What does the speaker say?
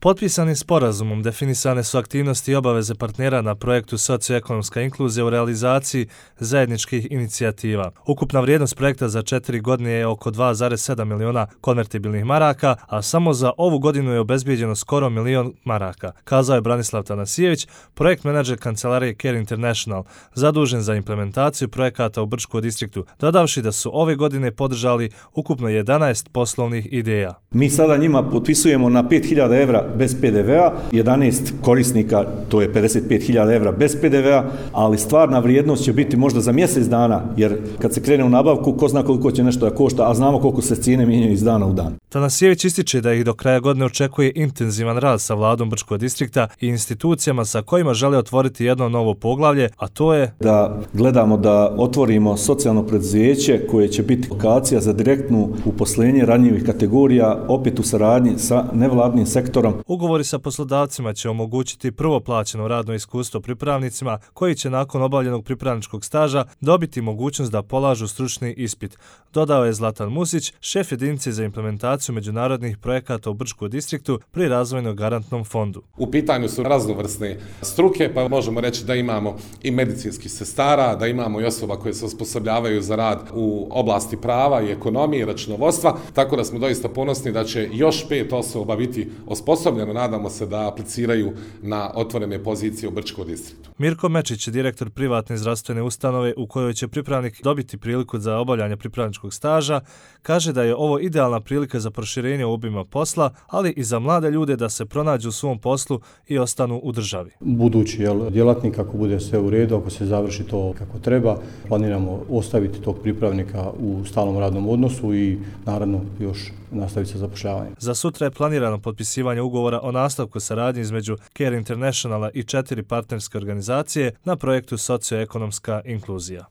Potpisanim sporazumom definisane su aktivnosti i obaveze partnera na projektu Socioekonomska inkluzija u realizaciji zajedničkih inicijativa. Ukupna vrijednost projekta za 4 godine je oko 2,7 miliona konvertibilnih maraka, a samo za ovu godinu je obezbijeđeno skoro 1 milion maraka, kazao je Branislav Tanasijević, projekt menadžer kancelarije Care International, zadužen za implementaciju projekata u Brčkom distriktu, dodavši da su ove godine podržali ukupno 11 poslovnih ideja. Mi sada njima potpisujemo na 5.000 evra bez PDV-a, 11 korisnika, to je 55.000 evra bez PDV-a, ali stvarna vrijednost će biti možda za mjesec dana, jer kad se krene u nabavku, ko zna koliko će nešto da košta, a znamo koliko se cijene mijenjaju iz dana u dan. Tanasijević ističe da ih do kraja godine očekuje intenzivan rad sa vladom Brčkog distrikta i institucijama sa kojima žele otvoriti jedno novo poglavlje, a to je da gledamo da otvorimo socijalno preduzeće koje će biti lokacija za direktnu uposlenje ranjivih kategorija, opet u saradnji sa nevladnim sektorom. Ugovori sa poslodavcima će omogućiti prvo plaćeno radno iskustvo pripravnicima koji će nakon obavljenog pripravničkog staža dobiti mogućnost da polažu stručni ispit, dodao je Zlatan Musić, šef jedinice za implementaciju međunarodnih projekata u Brčkom distriktu pri Razvojnom garantnom fondu. U pitanju su raznovrsne struke, pa možemo reći da imamo i medicinskih sestara, da imamo i osoba koje se osposobljavaju za rad u oblasti prava i ekonomije i računovodstva, tako da smo doista ponosni da će još 5 osoba biti osposobljeno, nadamo se da apliciraju na otvorene pozicije u Brčkom distriktu. Mirko Mečić, direktor privatne zdravstvene ustanove u kojoj će pripravnik dobiti priliku za obavljanje pripravničkog staža, kaže da je ovo idealna prilika za proširenje obima posla, ali i za mlade ljude da se pronađu u svom poslu i ostanu u državi. Budući djelatnik, ako bude sve u redu, ako se završi to kako treba, planiramo ostaviti tog pripravnika u stalnom radnom odnosu i naravno još nastaviti sa zapošljavanjem. Za sutra je planirano potpisivanje ugovora o nastavku saradnje između Care Internationala i 4 partnerske organizacije na projektu Socioekonomska inkluzija.